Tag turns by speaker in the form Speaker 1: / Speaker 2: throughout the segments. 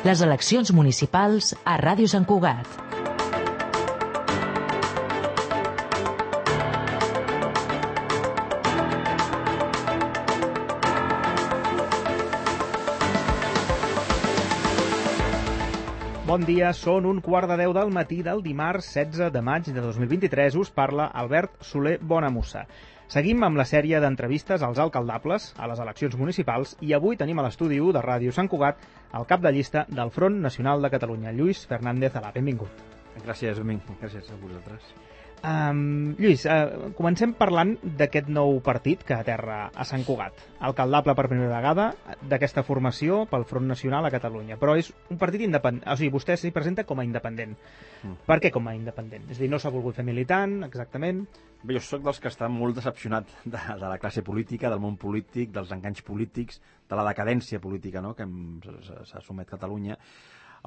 Speaker 1: Les eleccions municipals a Ràdio Sant Cugat.
Speaker 2: Bon dia, són 1:15 del matí del dimarts 16 de maig de 2023. Us parla Albert Soler Bonamussa. Seguim amb la sèrie d'entrevistes als alcaldables a les eleccions municipals i avui tenim a l'estudi 1 de Ràdio Sant Cugat el cap de llista del Front Nacional de Catalunya, Lluís Fernández Alà. Benvingut.
Speaker 3: Gràcies, Domingo. Gràcies a vosaltres.
Speaker 2: Lluís, comencem parlant d'aquest nou partit que aterra a Sant Cugat. Alcaldable per primera vegada d'aquesta formació pel Front Nacional a Catalunya. Però és un partit independent, o sigui, vostè s'hi presenta com a independent. Per què com a independent? És a dir, no s'ha volgut fer militant, exactament?
Speaker 3: Bé, jo sóc dels que estan molt decepcionat de la classe política, del món polític, dels enganys polítics, de la decadència política, no?, que s'ha somet Catalunya,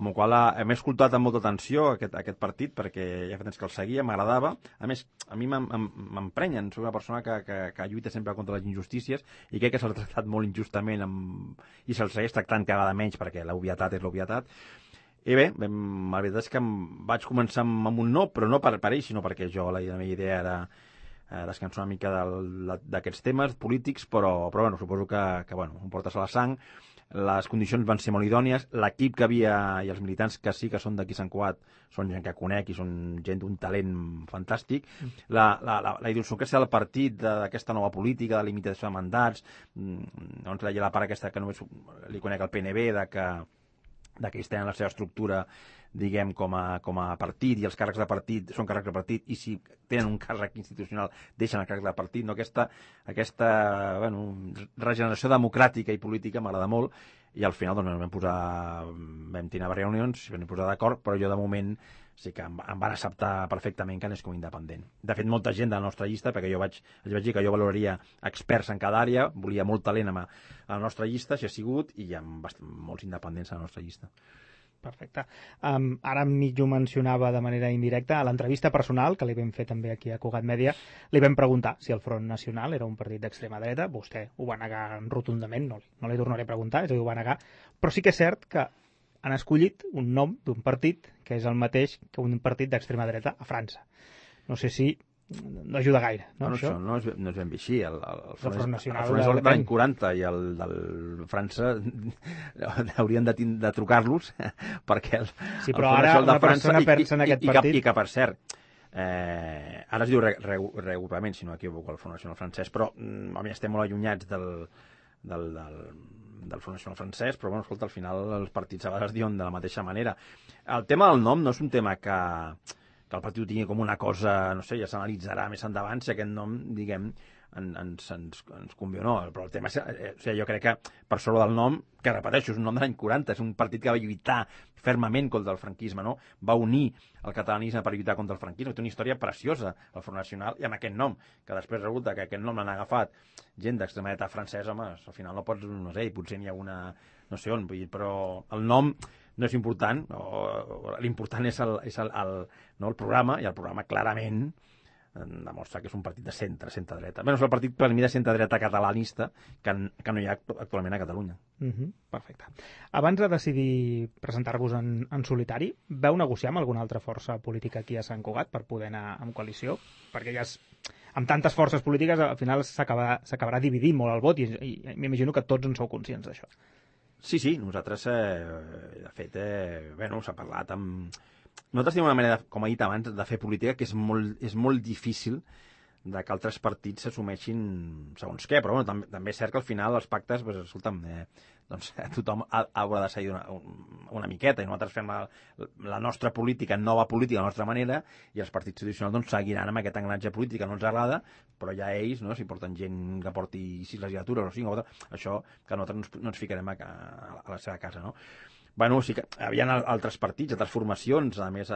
Speaker 3: amb el qual hem escoltat amb molta atenció aquest partit, perquè ja fa temps que el seguia, m'agradava. A més, a mi m'emprenyen, soc una persona que lluita sempre contra les injustícies i crec que s'ha tractat molt injustament i se'l segueix tractant cada vegada menys, perquè l'obvietat és l'obvietat. I bé, la veritat és que vaig començar amb un no, però no per ell, sinó perquè la meva idea era descansar una mica d'aquests temes polítics, però bueno, suposo que em portes a la sang. Les condicions van ser molt idònies, l'equip que havia i els militants que sí que són d'aquí Sant Cugat són gent que conec i són gent d'un talent fantàstic. La idiosincràsia del partit, d'aquesta nova política, de limitació de mandats, doncs la part aquesta que només li conec al PNB, que ells tenen la seva estructura, diguem, com a partit, i els càrrecs de partit són càrrecs de partit, i si tenen un càrrec institucional deixen el càrrec de partit, no? Aquesta regeneració democràtica i política m'agrada molt, i al final doncs, vam tenir reunions, vam posar d'acord, però jo de moment sí que em van acceptar perfectament que anés com a independent. De fet, molta gent de la nostra llista, perquè els vaig dir que jo valoraria experts en cada àrea, volia molt talent a la nostra llista, així ha sigut, i hi ha molts independents a la nostra llista.
Speaker 2: Perfecte. Ara m'ho mencionava de manera indirecta. A l'entrevista personal, que li vam fer també aquí a Cugat Mèdia, li vam preguntar si el Front Nacional era un partit d'extrema dreta. Vostè ho va negar rotundament, no li tornaré a preguntar, és a dir, ho va negar. Però sí que és cert que han escollit un nom d'un partit que és el mateix que un partit d'extrema dreta a França. No sé si no ajuda gaire, no?
Speaker 3: Això no és ben bé així. El
Speaker 2: Front Nacional
Speaker 3: és de l'any 40 i el del França haurien de trucar-los perquè
Speaker 2: sí, però ara una persona pensa en aquest partit...
Speaker 3: I que, per cert, ara es diu regrupament, si no m'equivoco, el Front Nacional francès, però estem molt allunyats del Front Nacional francès, però bueno, escolta, al final els partits a vegades diuen de la mateixa manera. El tema del nom no és un tema que el partit ho tingui com una cosa, no sé, ja s'analitzarà més endavant si aquest nom, diguem, ens convé o no. Però el tema és, jo crec que per sobre del nom, que repeteixo, és un nom de l'any 40, és un partit que va lluitar fermament contra el franquisme, no? Va unir el catalanisme per lluitar contra el franquisme. Té una història preciosa, el Front Nacional, i amb aquest nom, que després resulta que aquest nom l'han agafat gent d'extrema dreta francesa, home, al final no pots, no sé, potser n'hi ha una, no sé on, vull dir, però el nom no és important, l'important és el programa, i el programa clarament demostra que és un partit de centre-dreta. Bé, és el partit per mi de centre-dreta catalanista que no hi ha actualment a Catalunya.
Speaker 2: Perfecte. Abans de decidir presentar-vos en solitari, vau negociar amb alguna altra força política aquí a Sant Cugat per poder anar en coalició? Perquè ja amb tantes forces polítiques al final s'acabarà dividint molt el vot i m'imagino que tots en sou conscients d'això.
Speaker 3: Sí, nosaltres, de fet, s'ha parlat amb... Nosaltres tenim una manera, com he dit abans, de fer política que és molt difícil de que altres partits s'assumeixin segons què, però bueno, també és cert que al final els pactes, escolta'm, tothom haurà de seguir una miqueta, i nosaltres fem la nostra política, nova política, a la nostra manera, i els partits tradicionals seguiran amb aquest engranatge polític que no ens agrada, però ja ells, si porten gent que porti 6 legislatures o 5, això que nosaltres no ens ficarem a la seva casa, no? Bueno, sí que hi havia altres partits, altres formacions, a més,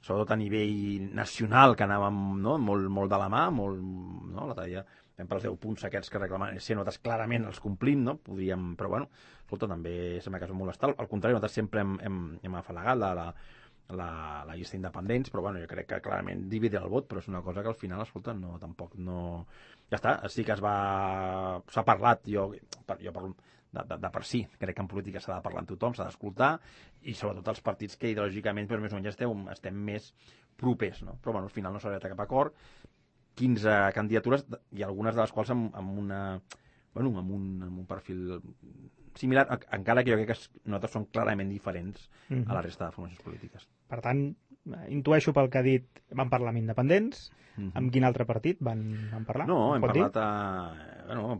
Speaker 3: sobretot a nivell nacional, que anàvem molt de la mà, l'altre dia vam per els 10 punts aquests que reclamaven, nosaltres clarament els complim, no? Podríem, però bueno, escolta, també sembla que és molt estal. Al contrari, nosaltres sempre hem afalagat la llista d'independents, però bueno, jo crec que clarament dividir el vot, però és una cosa que al final, escolta, tampoc no... Ja està, sí que s'ha parlat, jo parlo de per si. Crec que en política s'ha de parlar amb tothom, s'ha d'escoltar, i sobretot els partits que ideològicament més o menys estem més propers, no? Però bueno, al final no s'ha arribat a cap acord, 15 candidatures, i algunes de les quals amb un perfil similar, encara que jo crec que nosaltres som clarament diferents a la resta de formacions polítiques.
Speaker 2: Per tant, intueixo pel que ha dit, van parlar amb independents. Amb quin altre partit van parlar?
Speaker 3: No, hem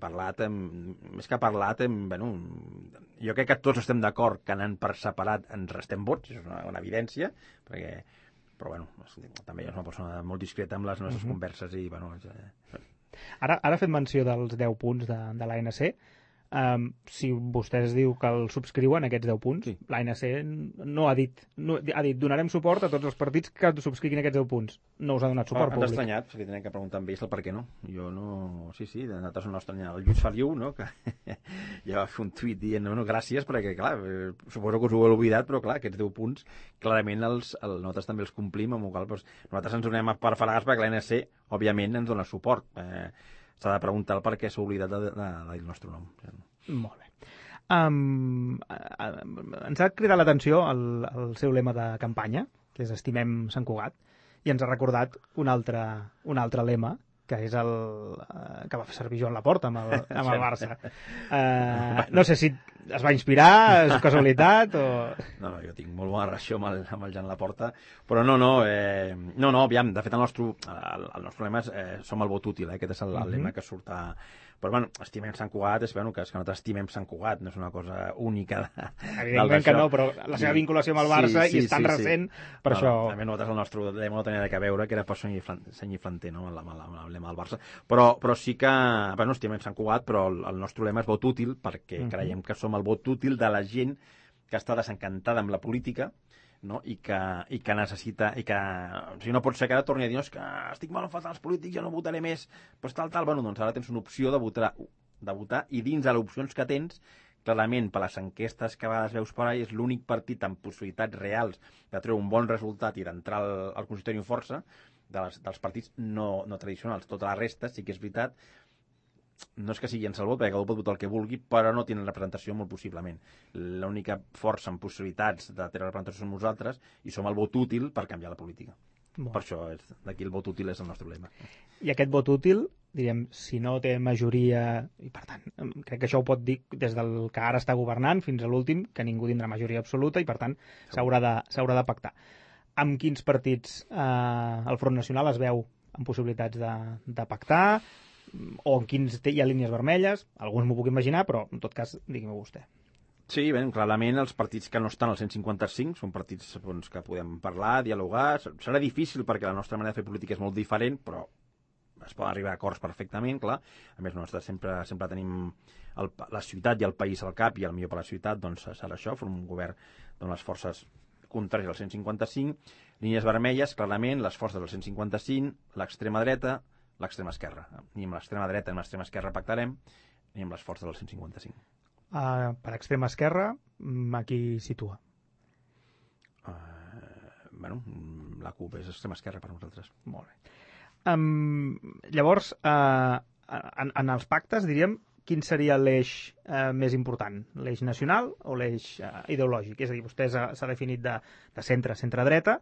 Speaker 3: parlat, més que parlat, jo crec que tots estem d'acord que anant per separat ens restem vots, és una evidència, però també és una persona molt discreta amb les nostres converses i,
Speaker 2: Ara ha fet menció dels 10 punts de l'ANC. Si vostès diu que el subscriuen, aquests 10 punts, sí. L'ANC no ha dit donarem suport a tots els partits que subscriguin aquests 10 punts. No us ha donat suport públic.
Speaker 3: Ens ha estranyat, li tenen que preguntar amb ells el per què no. Jo no... Sí, nosaltres no estranyat. El Lluís Feliu, no?, que ja va fer un tuit dient, gràcies, perquè, clar, suposo que us ho heu oblidat, però, clar, aquests 10 punts, clarament nosaltres també els complim, amb el qual nosaltres ens donem per afalagar perquè l'ANC, òbviament, ens dona suport. S'ha de preguntar el per què s'ha oblidat de dir el nostre nom.
Speaker 2: Molt bé. Ens ha cridat l'atenció el seu lema de campanya, que és Estimem Sant Cugat, i ens ha recordat un altre lema, que és el que va fer servir Joan Laporta amb el Barça. No sé si es va inspirar, és casualitat o...
Speaker 3: No, jo tinc molt bona relació amb el Joan Laporta, però no, aviam, de fet el nostre lema és som el vot útil, aquest és el lema que surt a... Però, estimem Sant Cugat, és que nosaltres estimem Sant Cugat, no és una cosa única
Speaker 2: evidentment que no, però la seva vinculació amb el Barça i és tan recent, per això...
Speaker 3: També nosaltres el nostre lema no tenia res a veure, que era per Senyi Flanter, no?, amb el lema del Barça. Però sí que, estimem Sant Cugat, però el nostre lema és vot útil, perquè creiem que som el vot útil de la gent que està desencantada amb la política, no? I que necessita, i que o sigui, no pot ser que ara torni a dir que estic molt enfadat als polítics, jo no votaré més, però tal, doncs ara tens una opció de votar i dins de les opcions que tens, clarament per les enquestes que a vegades veus per ahí és l'únic partit amb possibilitats reals de treure un bon resultat i d'entrar al consistori amb força dels partits no tradicionals. Tota la resta sí que és veritat, no és que sigui en el vot, perquè cadascú pot votar el que vulgui, però no tenen representació molt possiblement. L'única força amb possibilitats de tenir representació som nosaltres i som el vot útil per canviar la política. Per això, d'aquí el vot útil és el nostre lema.
Speaker 2: I aquest vot útil, diríem, si no té majoria, i per tant, crec que això ho pot dir des del que ara està governant fins a l'últim, que ningú tindrà majoria absoluta i per tant s'haurà de pactar. Amb quins partits el Front Nacional es veu amb possibilitats de pactar, o en quins hi ha línies vermelles? Alguns m'ho puc imaginar, però en tot cas digui-m'ho vostè.
Speaker 3: Sí, clarament els partits que no estan al 155 són partits que podem parlar, dialogar. Serà difícil perquè la nostra manera de fer política és molt diferent, però es poden arribar a acords perfectament, clar. A més, nosaltres sempre tenim la ciutat i el país al cap, i el millor per la ciutat doncs serà això, fer un govern on les forces contràries al 155, línies vermelles, clarament, les forces del 155, l'extrema dreta, l'extrema esquerra. Ni amb l'extrema dreta ni amb l'extrema esquerra pactarem, ni amb les forces del 155.
Speaker 2: Per extrema esquerra, a qui situa?
Speaker 3: La CUP és extrema esquerra per nosaltres.
Speaker 2: Molt bé. Llavors, en els pactes, diríem, quin seria l'eix més important? L'eix nacional o l'eix ideològic? És a dir, vostè s'ha definit de centre-dreta.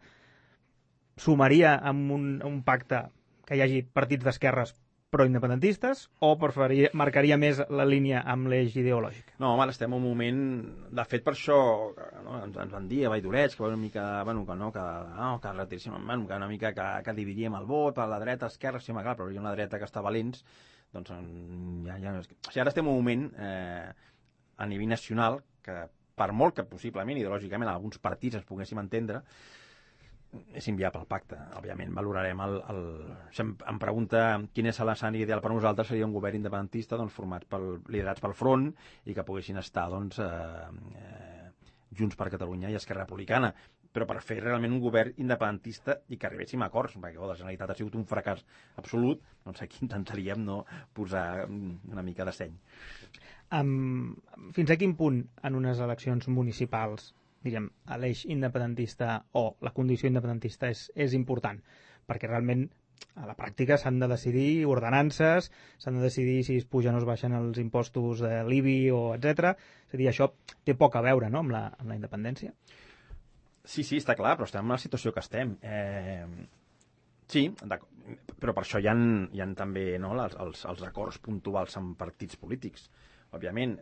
Speaker 2: Sumaria amb un pacte que hi hagi partits d'esquerres pro-independentistes o marcaria més la línia amb l'eix ideològic?
Speaker 3: No, home, estem en un moment... De fet, per això ens van dir a Valldoreix que una mica, que retiríssim, que una mica que dividíem el vot per la dreta, esquerra, sí, clar, però hi ha una dreta que està valents, doncs ja... O sigui, ara estem en un moment a nivell nacional que, per molt que possiblement, ideològicament, alguns partits ens poguéssim entendre, és inviable el pacte. Òbviament valorarem si em pregunta quin és l'escenari ideal per nosaltres, seria un govern independentista liderats pel Front i que poguessin estar Junts per Catalunya i Esquerra Republicana, però per fer realment un govern independentista i que arribéssim a acords, perquè la Generalitat ha sigut un fracàs absolut, doncs aquí intentaríem posar una mica de seny.
Speaker 2: Fins a quin punt en unes eleccions municipals, diríem, l'eix independentista o la condició independentista és important? Perquè realment a la pràctica s'han de decidir ordenances, s'han de decidir si es pugen o es baixen els impostos de l'IBI o etc. És a dir, això té poc a veure, no?, amb la independència.
Speaker 3: Sí, està clar, però estem en la situació que estem. Sí, però per això hi ha també, no, els acords puntuals amb partits polítics. Òbviament,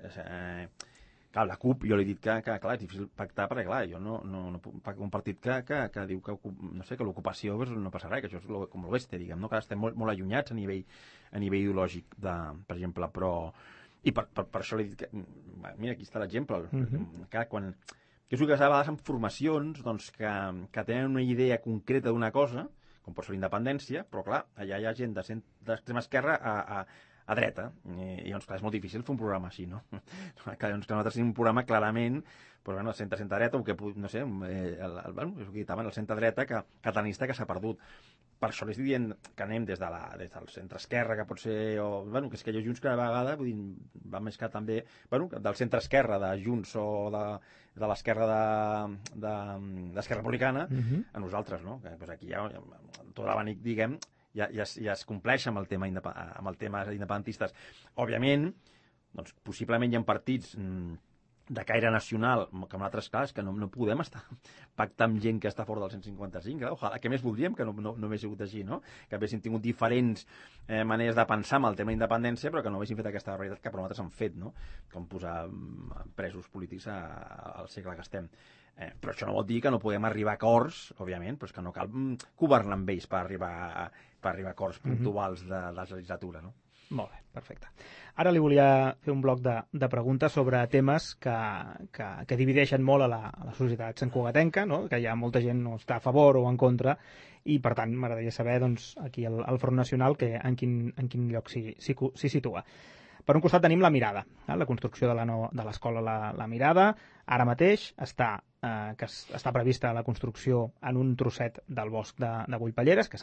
Speaker 3: clar, la CUP, jo li he dit que clar, és difícil pactar, perquè clar, jo no puc pactar un partit que diu que, no sé, que l'ocupació no passa res, que això és com l'oeste, diguem, no? Que estem molt allunyats a nivell ideològic, per exemple, però... I per això li he dit que... Mira, aquí està l'exemple. Que quan... Que és el que a vegades en formacions doncs, que tenen una idea concreta d'una cosa, com pot ser la independència, però clar, allà hi ha gent d'extrema esquerra a dreta, i doncs clar, és molt difícil fer un programa així, no? Clar, doncs, que nosaltres tenim un programa clarament, però bueno, el centre-dreta, o que, no sé, és el que ditaven, el centre-dreta catalanista que s'ha perdut. Per això li estic dient que anem des del centre-esquerra, que pot ser, o, bueno, que és que hi ha Junts cada vegada, vull dir, va més que també, bueno, del centre-esquerra de Junts o de l'esquerra d'Esquerra Republicana, a nosaltres, no? Que, doncs aquí ja, tot l'abanic, diguem, ja es compleix amb el tema independentistes. Òbviament, doncs, possiblement hi ha partits de caire nacional, que en altres casos que no podem estar pactant amb gent que està fora del 155. Ojalà, què més voldríem que no hagués sigut així, no? Que haguéssim tingut diferents maneres de pensar amb el tema d'independència, però que no haguéssim fet aquesta realitat que per nosaltres han fet, no? Com posar presos polítics al segle que estem. Però això no vol dir que no podem arribar a acords, òbviament, però és que no cal governar amb ells per arribar a acords puntuals de la legislatura, no?
Speaker 2: Molt bé, perfecte. Ara li volia fer un bloc de preguntes sobre temes que divideixen molt a la societat santcugatenca, no? Que hi ha molta gent no està a favor o en contra, i per tant m'agradaria saber doncs, aquí el Front Nacional en quin lloc s'hi situa. Per un costat tenim la Mirada, la construcció de l'escola La Mirada. Ara mateix està prevista la construcció en un trosset del bosc de Bullpalleres, que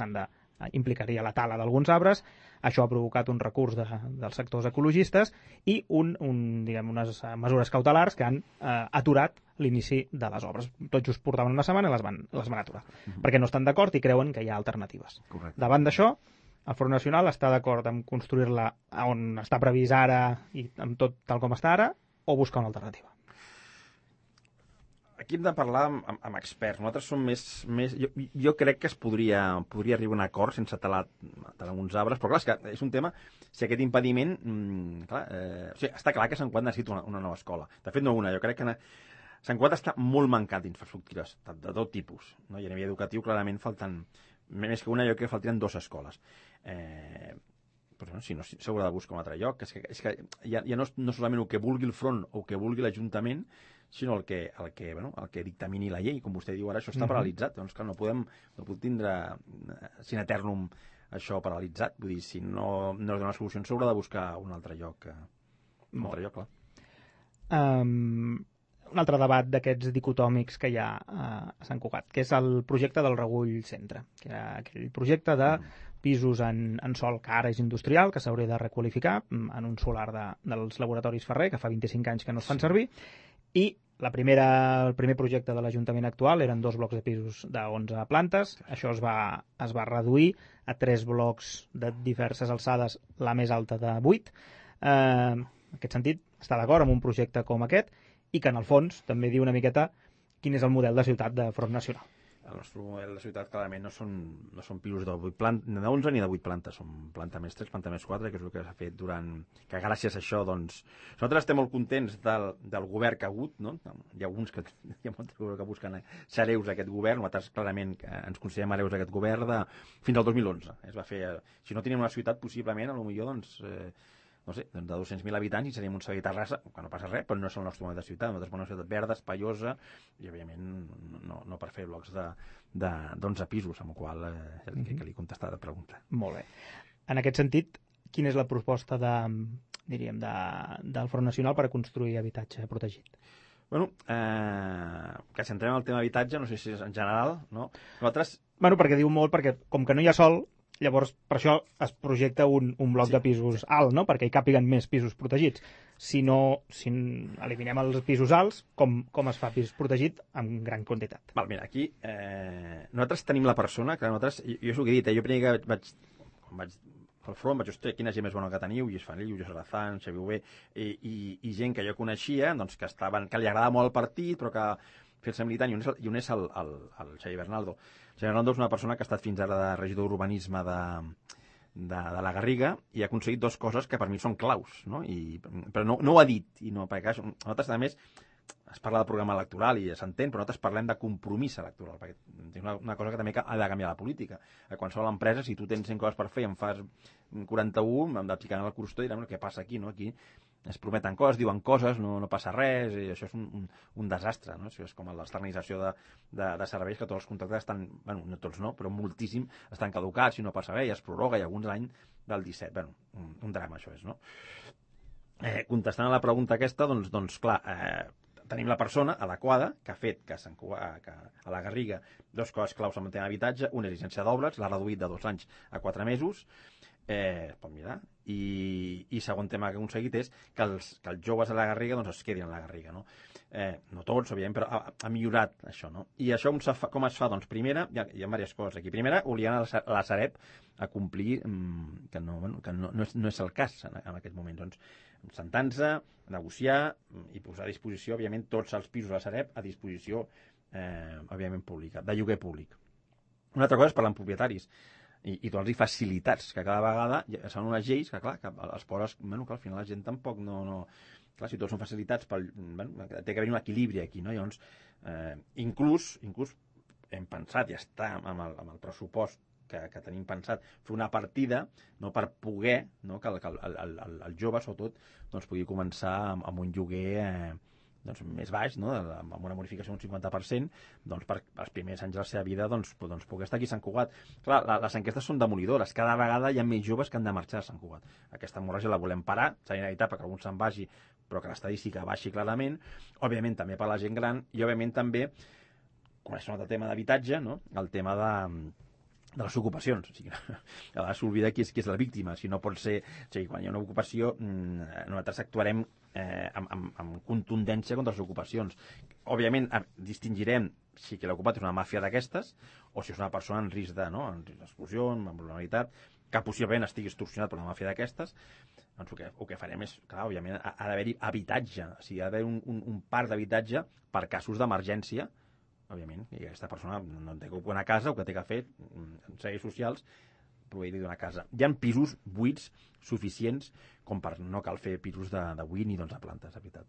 Speaker 2: implicaria la tala d'alguns arbres. Això ha provocat un recurs dels sectors ecologistes i unes mesures cautelars que han aturat l'inici de les obres. Tot just portaven una setmana i les van aturar, perquè no estan d'acord i creuen que hi ha alternatives.
Speaker 3: Correcte.
Speaker 2: Davant d'això, el Front Nacional està d'acord en construir-la on està previst ara i amb tot tal com està ara, o buscar una alternativa?
Speaker 3: Aquí hem de parlar amb experts. Nosaltres som més... Jo crec que es podria arribar a un acord sense talar alguns arbres, però clar, és que és un tema... Si aquest impediment... o sigui, està clar que Sant Cugat necessita una nova escola. De fet, no una. Jo crec que Sant Cugat està molt mancat d'infraestructures, de tot tipus. No? I a nivell educatiu, clarament, falten... Més que una, jo crec que faltarien 2 escoles. Però si no, s'haurà de buscar un altre lloc. És que ja no solament el que vulgui el front o el que vulgui l'Ajuntament, sinó el que dictamini la llei. Com vostè diu ara, això està paralitzat. Doncs clar, no podem tindre sin eternum això paralitzat. Vull dir, si no es dona solució, s'haurà de buscar un altre lloc. Clar.
Speaker 2: Un altre debat d'aquests dicotòmics que hi ha a Sant Cugat, que és el projecte del Regull Centre, que era aquell projecte de pisos en sòl que ara és industrial, que s'hauria de requalificar en un solar dels laboratoris Ferrer, que fa 25 anys que no es fan servir, i el primer projecte de l'Ajuntament actual eren 2 blocs de pisos de 11 plantes. Això es va reduir a 3 blocs de diverses alçades, la més alta de 8. En aquest sentit, està d'acord amb un projecte com aquest i que, en el fons, també diu una miqueta quin és el model de ciutat de Front Nacional.
Speaker 3: El nostre model de ciutat clarament no són pisos de 11 ni de 8 plantes, són planta més 3, planta més 4, que és el que s'ha fet que gràcies a això, doncs... Nosaltres estem molt contents del govern que ha hagut, no? Hi ha alguns hi ha molts que busquen ser hereus d'aquest govern, nosaltres clarament ens considerem hereus d'aquest govern fins al 2011. Es va fer... Si no teníem una ciutat, possiblement, potser, doncs... no sé, de 200.000 habitants i seríem un seguit a Terrassa, que no passa res, però no és el nostre model de ciutat. Nosaltres volem una ciutat verda, espaiosa, i òbviament no per fer blocs d'11 pisos, amb el qual que li contestar la pregunta.
Speaker 2: Molt bé. En aquest sentit, quina és la proposta del Front Nacional per a construir habitatge protegit?
Speaker 3: Bueno, que si entrem en el tema habitatge, no sé si és en general, no? Nosaltres...
Speaker 2: Bueno, perquè diu molt, perquè com que no hi ha sol, Llavors, per això es projecta un bloc de pisos alt, no? Perquè hi càpiguen més pisos protegits. Si eliminem els pisos alts, com es fa pis protegit en gran quantitat?
Speaker 3: Val, mira, aquí nosaltres tenim la persona, que nosaltres, jo és el que he dit, jo primer que quan vaig al front vaig dir, hòstia, quina gent més bona que teniu, Lluís Feliu, Lluís Sarazán, Xavi Bové, i gent que jo coneixia, doncs, que li agradava molt el partit, però que fer-se militant, i un és el Xavi Bernaldo. Xavi Bernaldo és una persona que ha estat fins ara de regidor d'urbanisme de la Garriga i ha aconseguit dues coses que per mi són claus, no? Però no ho ha dit, perquè nosaltres, a més, es parla del programa electoral i s'entén, però nosaltres parlem de compromís electoral, perquè és una cosa que també ha de canviar la política. A qualsevol empresa, si tu tens 100 coses per fer i en fas 41, hem de picar en el crostó i direm, què passa aquí, no? Aquí es prometen coses, diuen coses, no passa res, i això és un desastre, no? Això és com l'externalització de serveis, que tots els contractes estan, bueno, no tots no, però moltíssim estan caducats i no passa res, i es prorroga, i alguns l'any del 17. Bueno, un drama això és, no? Contestant a la pregunta aquesta, doncs clar, tenim la persona adequada que ha fet que a la Garriga dues coses claus en el tema d'habitatge. Una és llicència d'obres, l'ha reduït de 2 anys a 4 mesos, es pot mirar, i segon tema que ha aconseguit és que els joves a la Garriga doncs es quedin a la Garriga, no? No tots, òbviament, però ha millorat això, no? I això com es fa? Doncs primera, hi ha diverses coses aquí. Primera, obligant a la Sareb a complir, que no és el cas en aquest moment, doncs sentant-se, negociar i posar a disposició, òbviament, tots els pisos de la Sareb a disposició, òbviament, pública, de lloguer públic. Una altra cosa és parlar amb propietaris i donar-los facilitats, que cada vegada són unes lleis que, clar, que els poses, bueno, que al final la gent tampoc no... Clar, si tots són facilitats, té que haver un equilibri aquí, no? Llavors, inclús hem pensat, ja està amb el pressupost que tenim pensat, fer una partida, no, per poder, no, que el jove, sobretot, doncs, pugui començar amb un lloguer doncs, més baix, no, amb una bonificació d'un 50%, doncs, per els primers anys de la seva vida doncs, poder estar aquí a Sant Cugat. Clar, les enquestes són demolidores. Cada vegada hi ha més joves que han de marxar a Sant Cugat. Aquesta hemorràgia la volem parar, serà inevitable que algun se'n vagi, però que l'estadística baixi clarament. Òbviament, també per la gent gran, i òbviament també, com és un altre tema d'habitatge, no, el tema de les ocupacions. O sigui, a vegades s'oblida qui és la víctima. Si no pot ser... O sigui, quan hi ha una ocupació, nosaltres actuarem amb contundència contra les ocupacions. Òbviament, distingirem si que l'ocupat és una màfia d'aquestes o si és una persona en risc d'exclusió, amb vulnerabilitat, que possiblement estigui extorsionat per una màfia d'aquestes. Doncs el que farem és, clar, òbviament, ha d'haver-hi habitatge. O sigui, ha d'haver un parc d'habitatge per casos d'emergència, òbviament, i aquesta persona no té que ocupar una casa, el que té que fer en serveis socials, proveir-li d'una casa. Hi ha pisos buits suficients com per no cal fer pisos de 8 ni d'11 plantes, de veritat.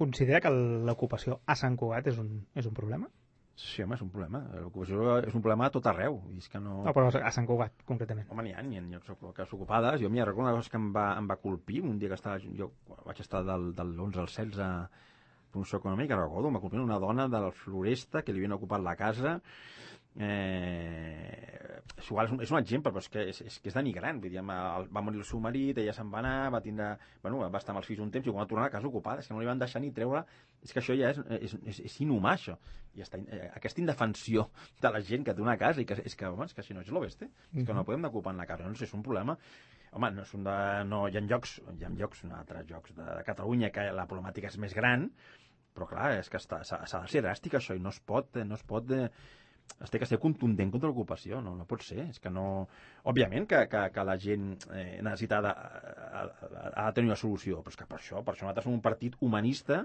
Speaker 2: Considera que l'ocupació a Sant Cugat és un problema?
Speaker 3: Sí, home, és un problema. L'ocupació és un problema a tot arreu. És que no...
Speaker 2: No, però a Sant Cugat, concretament.
Speaker 3: Home, n'hi ha llocs ocupades. Jo m'hi recordo una cosa que em va colpir un dia que jo vaig estar del 11 al 16 promoció econòmica, recordo, em va complir una dona de la Floresta que li havien ocupat la casa. És un exemple, però és que és denigrant. Vull dir, va morir el seu marit, ella se'n va anar, va estar amb els fills un temps i quan va tornar a la casa ocupada, és que no li van deixar ni treure. És que això ja és inhumà, això. I aquesta indefensió de la gent que té una casa, i que és que si no és l'oeste, és que no podem ocupar en la casa, no sé, és un problema. Home, hi ha llocs, altres llocs de Catalunya que la problemàtica és més gran, però clar, és que s'ha de ser dràstic això, i no es pot es té que ser contundent contra l'ocupació, no pot ser, és que no... Òbviament que la gent necessita ha de tenir una solució, però és que per això nosaltres som un partit humanista,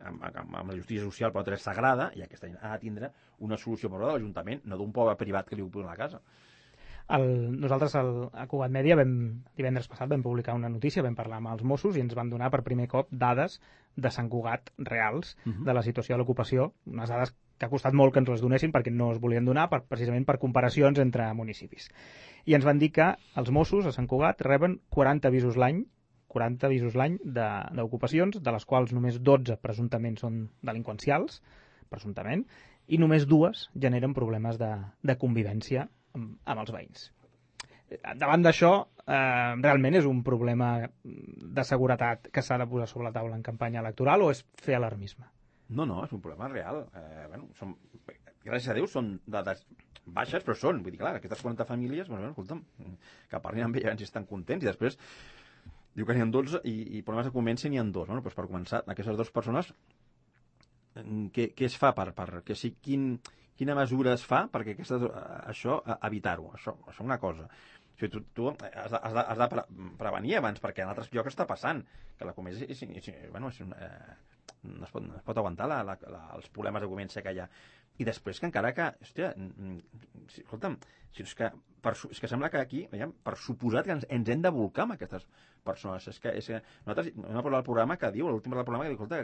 Speaker 3: amb la justícia social per nosaltres és sagrada, i aquesta gent ha de tindre una solució per de l'Ajuntament, no d'un poble privat que li ocupi la casa.
Speaker 2: Nosaltres a Cugat Mèdia divendres passat vam publicar una notícia, vam parlar amb els Mossos i ens van donar per primer cop dades de Sant Cugat reals de la situació de l'ocupació, unes dades que ha costat molt que ens les donessin perquè no es volien donar precisament per comparacions entre municipis. I ens van dir que els Mossos a Sant Cugat reben 40 avisos l'any d'ocupacions, de les quals només 12 presumptament són delinqüencials, presumptament, i només 2 generen problemes de convivència amb els veïns. Davant d'això, realment és un problema de seguretat que s'ha de posar sobre la taula en campanya electoral o és fer alarmisme?
Speaker 3: No, és un problema real. gràcies a Déu, són dades baixes, però són. Vull dir, clar, aquestes 40 famílies, bueno, escolta'm, que parlin amb ella si estan contents, i després diu que n'hi ha 12 i problemes de convivència n'hi ha 2. Bueno, doncs per començar, aquestes 2 persones, què es fa quina mesura es fa perquè això evitar-ho? Això és una cosa. O sigui, tu has de prevenir abans, perquè en altres llocs està passant que la convivència no es pot aguantar els problemes de convivència que hi ha. I després que encara que, hòstia, escolta'm, és que sembla que aquí, veiem, per suposat que ens hem de volcar amb aquestes persones. És que nosaltres hem de parlar del programa que diu, l'últim del programa que diu, escolta,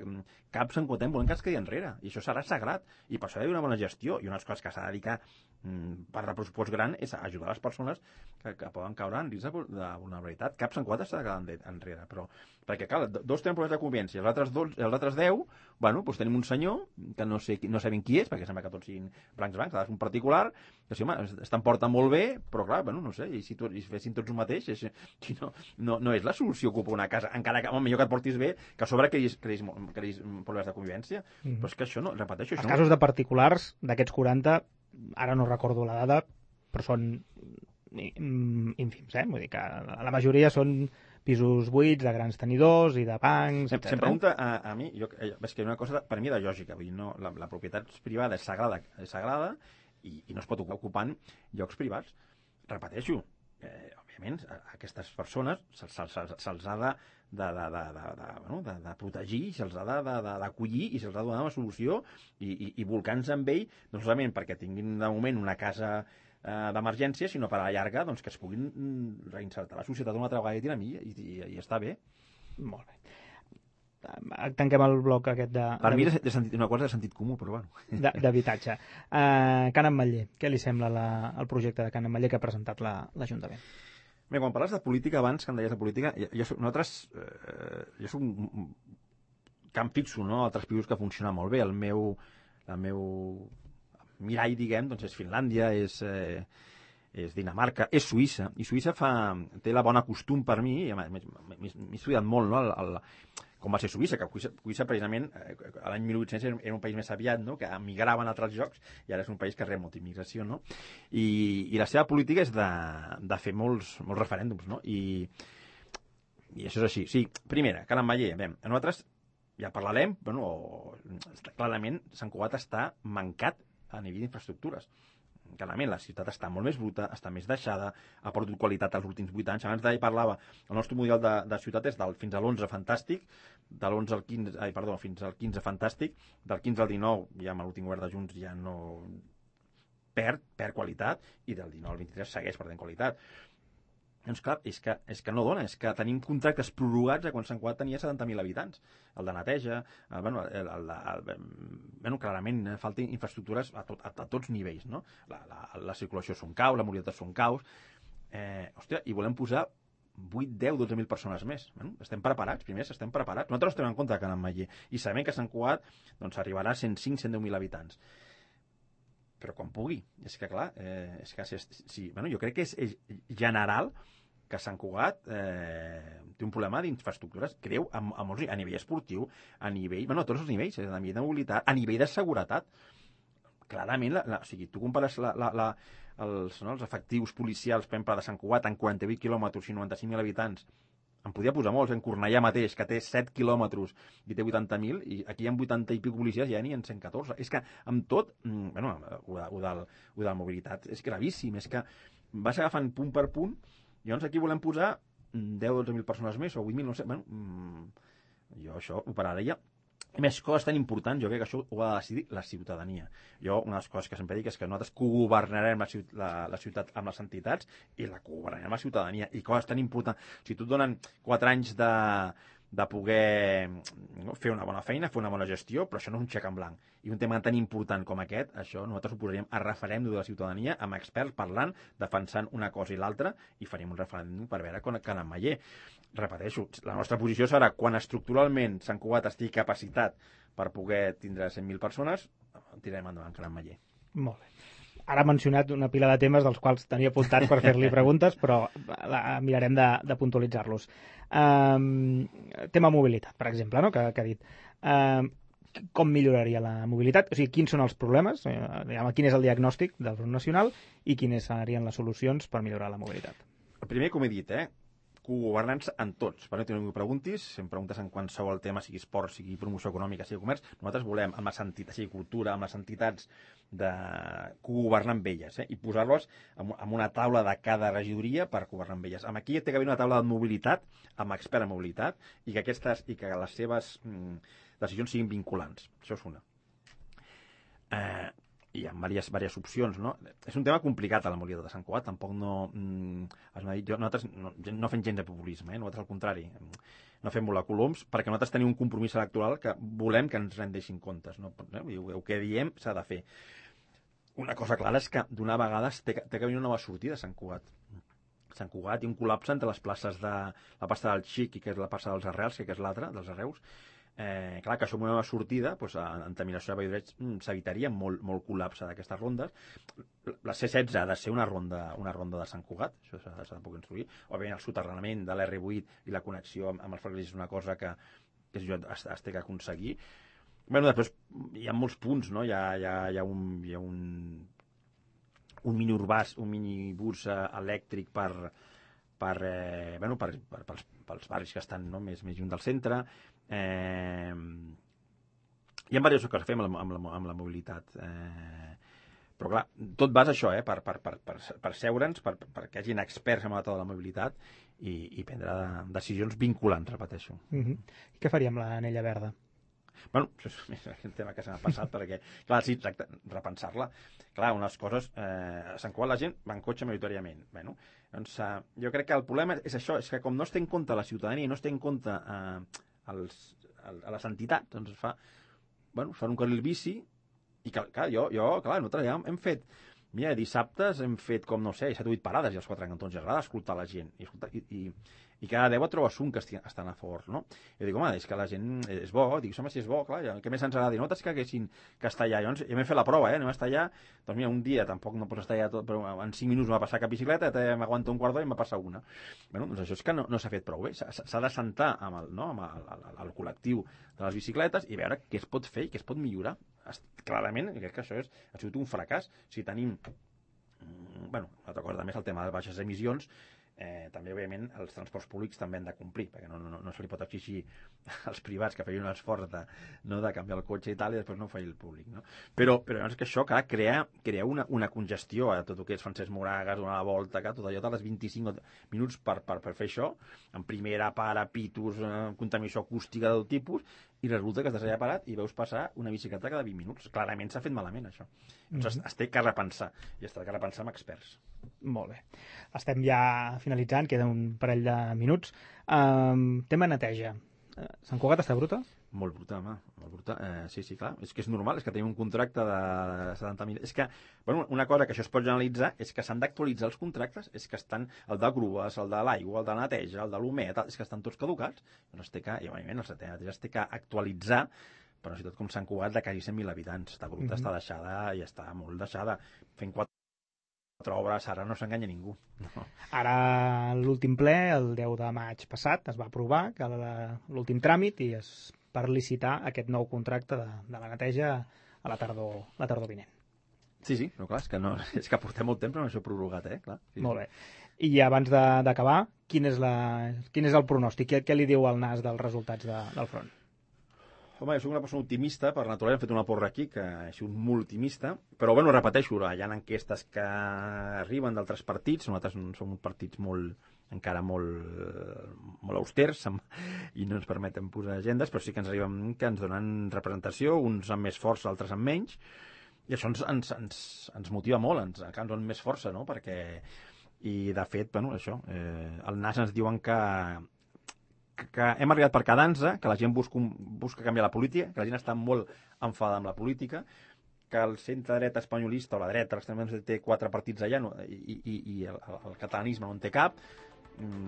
Speaker 3: cap Sant Quentin volem que ens quedi enrere, i això serà sagrat, i per això hi ha una bona gestió, i unes coses que s'ha de dedicar per de pressupost gran és ajudar les persones que poden caure en risc de vulnerabilitat. Cap Sant Quentin s'ha de quedar enrere, però perquè, clar, 2 tenen problemes de convivència, els altres 10, bueno, doncs tenim un senyor que no sabem qui és, perquè sembla que tots siguin blancs, és un particular, que sí, home, estan portant molt bé, però clar, bueno, no sé, i si fessin tots un mateix, no és la solució ocupar una casa, encara que, millor que et portis bé, que a sobre creïs problemes de convivència, però és que això no, repeteixo,
Speaker 2: Els casos de particulars, d'aquests 40, ara no recordo la dada, però són ínfims, vull dir que la majoria són pisos buits de grans tenidors i de bancs, etc.
Speaker 3: Se'm pregunta a mi, és que una cosa per mi de lògica, vull dir, no, la propietat privada és sagrada i no es pot ocupar en llocs privats. Repeteixo, òbviament, a aquestes persones se'ls ha de protegir, se'ls ha d'acollir i se'ls ha de donar una solució i volcar-nos amb ell, no solament perquè tinguin de moment una casa d'emergència, sinó per a la llarga doncs, que es puguin reinsertar a la societat una altra vegada i està bé.
Speaker 2: Molt bé. Tanquem el bloc aquest de...
Speaker 3: Per mi és una cosa de sentit comú, però bueno.
Speaker 2: D'habitatge. Can Ametller, què li sembla el projecte de Can Ametller que ha presentat l'Ajuntament?
Speaker 3: Bé, quan parles de política, abans que em deies de política, jo soc que em fixo, no?, altres països que funcionen molt bé. El meu mirall, diguem, doncs és Finlàndia, és Dinamarca, és Suïssa, i Suïssa té la bona costum per mi, i m'he estudiat molt, no?, com va ser Suïssa, que Suïssa precisament l'any 1800 era un país més aviat, no?, que emigraven a altres llocs, i ara és un país que rep molta immigració, no?, i la seva política és de fer molts referèndums, no?, i això és així. Sí, primera, Can Ametller, nosaltres ja parlarem, clarament Sant Cugat està mancat a nivell d'infraestructures. Clarament, la ciutat està molt més bruta, està més deixada, ha perdut qualitat els últims 8 anys. Abans d'ahir parlava, el nostre model de ciutat és fins a l'11 fantàstic, de l'11 al 15, fins al 15 fantàstic, del 15 al 19, ja amb l'últim govern de Junts ja no perd qualitat, i del 19 al 23 segueix perdent qualitat. Doncs clar, és que no dona, és que tenim contractes prorrogats a quan Sant Cugat tenia 70.000 habitants. El de neteja, clarament falten infraestructures a tots nivells, no? La circulació són caus, la mobilitat són caus, i volem posar 8, 10, 12.000 persones més. Estem preparats, estem preparats. Nosaltres estem en compte de Can Ametller i sabem que Sant Cugat arribarà a 105, 110.000 habitants. Però quan pugui. És que, clar, jo crec que és general que Sant Cugat té un problema d'infraestructures greu a nivell esportiu, a nivell, a tots els nivells, a nivell de mobilitat, a nivell de seguretat. Clarament, tu compares els efectius policials, per exemple, de Sant Cugat en 48 quilòmetres i 95.000 habitants, em podria posar molts, en Cornellà mateix, que té 7 quilòmetres i té 80.000, i aquí hi ha 80 i pico policies i ja n'hi ha 114. És que amb tot, o de la mobilitat, és gravíssim, és que vas agafant punt per punt, i llavors aquí volem posar 10 o 12.000 persones més, o 8.000, no sé, jo això ho pararia. I més coses tan importants, jo crec que això ho ha de decidir la ciutadania. Jo, una de les coses que sempre dic és que nosaltres cogovernarem la ciutat amb les entitats i la cogovernarem la ciutadania. I coses tan importants. Si tu et donen 4 anys de poder fer una bona feina, fer una bona gestió, però això no és un xec en blanc. I un tema tan important com aquest, això nosaltres ho posaríem a referèndum de la ciutadania, amb experts parlant, defensant una cosa i l'altra, i faríem un referèndum per veure Can Ametller. Repeteixo, la nostra posició serà quan estructuralment Sant Cugat estigui capacitat per poder tindre 100.000 persones, tirarem endavant Can Ametller.
Speaker 2: Molt bé. Ara ha mencionat una pila de temes dels quals tenia apuntats per fer-li preguntes, però mirarem de puntualitzar-los. Tema mobilitat, per exemple, no? que ha dit. com milloraria la mobilitat? O sigui, quins són els problemes, quin és el diagnòstic del Front Nacional i quines serien les solucions per millorar la mobilitat?
Speaker 3: El primer, com he dit, cogovernants en tots. Per no tenir que preguntis, si em preguntes en qualsevol tema, sigui esport, sigui promoció econòmica, sigui comerç, nosaltres volem, amb les entitats, sigui cultura, amb les entitats, de cogovernar amb elles, i posar-los en una taula de cada regidoria per governar amb elles. Aquí té que haver una taula de mobilitat, amb expert en mobilitat, i que les seves decisions siguin vinculants. Això és una. Hi ha diverses opcions, no? És un tema complicat a la mobilitat de Sant Cugat, tampoc nosaltres no fem gens de populisme, nosaltres al contrari, no fem volar coloms, perquè nosaltres tenim un compromís electoral que volem que ens rendeixin comptes, no? El que diem s'ha de fer. Una cosa clara és que d'una vegada té que venir una nova sortida a Sant Cugat. A Sant Cugat hi ha un col·lapse entre les places de la plaça del Xic i que és la plaça dels Arrels, que és l'altra, dels Arreus. Clar, que això amb una nova sortida, en terminació de Valldoreix s'evitaria molt col·lapse d'aquestes rondes. La C16 ha de ser una ronda de Sant Cugat, això s'ha de poder construir. Òbviament el soterrament de l'R8 i la connexió amb els ferrocarrils és una cosa que es té que aconseguir. Després hi ha molts punts, no? Hi ha un minibús elèctric pels barris que estan més lluny del centre. Hi ha diverses coses que fem amb la mobilitat. Però clar, tot va això, per seure'ns, perquè hi hagin experts en la taula de la mobilitat i prendre decisions vinculants, repeteixo.
Speaker 2: I què faria amb l'anella verda?
Speaker 3: Això és un tema que se m'ha passat, perquè, clar, sí, exacte, repensar-la. Clar, unes coses... A Sant Cugat la gent va en cotxe majoritàriament. Doncs jo crec que el problema és això, és que com no es té en compte la ciutadania i no es té en compte a les entitats, doncs fan un carril bici i, clar, nosaltres ja hem fet... Mira, dissabtes hem fet, 7 o 8 parades i als 4 cantons. I agrada escoltar la gent. I cada 10 et trobes un que estan a favor, no? Jo dic, home, és que la gent és bo. Dic, home, si és bo, clar, què més ens agrada? Nosaltres que haguessin castellà. Llavors, ja m'he fet la prova, anem a estar doncs mira, un dia tampoc no pots estar allà tot, però en 5 minuts m'ha passat cap bicicleta, m'aguanta un quart d'hora i m'ha passat una. Doncs això és que no s'ha fet prou bé. S'ha de sentar amb el col·lectiu de les bicicletes i veure què es pot fer i què es pot millorar. Clarament, crec que això ha sigut un fracàs. Si tenim... una altra cosa també és el tema de baixes emissions. També, òbviament, els transports públics també han de complir, perquè no se li pot exigir als privats que feien un esforç de canviar el cotxe i tal, i després no ho feia el públic, no? Però llavors que això, clar, crea una congestió a tot el que és Francesc Moragas, donar la volta, tot allò de les 25 minuts per fer això, en primera para, pitos, contaminació acústica del tipus, i resulta que estàs allà parat i veus passar una bicicleta cada 20 minuts. Clarament s'ha fet malament, això. Doncs es té que repensar, i es té que repensar amb experts.
Speaker 2: Molt bé. Estem ja finalitzant, queda un parell de minuts. Tema neteja. Sant Cugat està bruta?
Speaker 3: Molt bruta, home, molt bruta. Sí, clar, és que és normal, és que tenim un contracte de 70.000... És que, una cosa que això es pot generalitzar és que s'han d'actualitzar els contractes, és que estan el de grues, el de l'aigua, el de neteja, el de l'humet, és que estan tots caducats. Doncs i òbviament el neteja es té que actualitzar, però una ciutat com Sant Cugat de quasi 100.000 habitants. Està bruta, està deixada i està molt deixada. Fent 4 obres, ara no s'enganya ningú. No.
Speaker 2: Ara l'últim ple, el 10 de maig passat, es va aprovar que l'últim tràmit i per licitar aquest nou contracte de la neteja a la tardor vinent.
Speaker 3: Sí, però clar, és que portem molt temps amb això prorrogat, clar. Sí.
Speaker 2: Molt bé. I abans d'acabar, quin és el pronòstic? Què li diu el NAS dels resultats del front?
Speaker 3: Home, jo soc una persona optimista, per naturalesa hem fet una porra aquí, que he sigut molt optimista, però repeteixo, hi ha enquestes que arriben d'altres partits, nosaltres som partits encara molt austers i no ens permeten posar agendes, però sí que ens arriben que ens donen representació, uns amb més força, altres amb menys, i això ens motiva molt, ens donen més força, no? I de fet, això, el NAS ens diuen que hem arribat per quedar-nos, que la gent busca canviar la política, que la gent està molt enfadada amb la política, que el centre-dreta espanyolista o la dreta, l'extrema dreta, té 4 partits allà i el catalanisme no en té cap.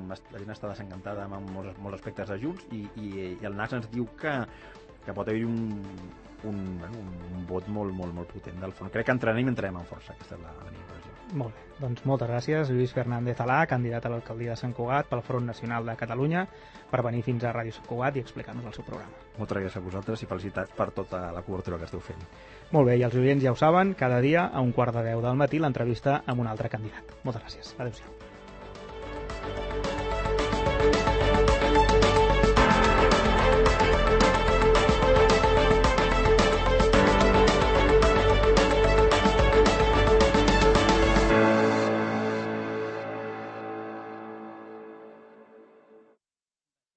Speaker 3: La gent està desencantada amb molts aspectes de Junts i el NAS ens diu que pot haver-hi un vot molt potent del front. Crec que entrarem amb força, aquesta és la meva impressió.
Speaker 2: Molt bé, doncs moltes gràcies, Lluís Fernández Alà, candidat a l'alcaldia de Sant Cugat pel Front Nacional de Catalunya, per venir fins a Ràdio Sant Cugat i explicar-nos el seu programa.
Speaker 3: Moltes gràcies a vosaltres i felicitats per tota la cobertura que esteu fent.
Speaker 2: Molt bé, i els oients ja ho saben, cada dia a 9:15 del matí l'entrevista amb un altre candidat. Moltes gràcies, adéu-siau.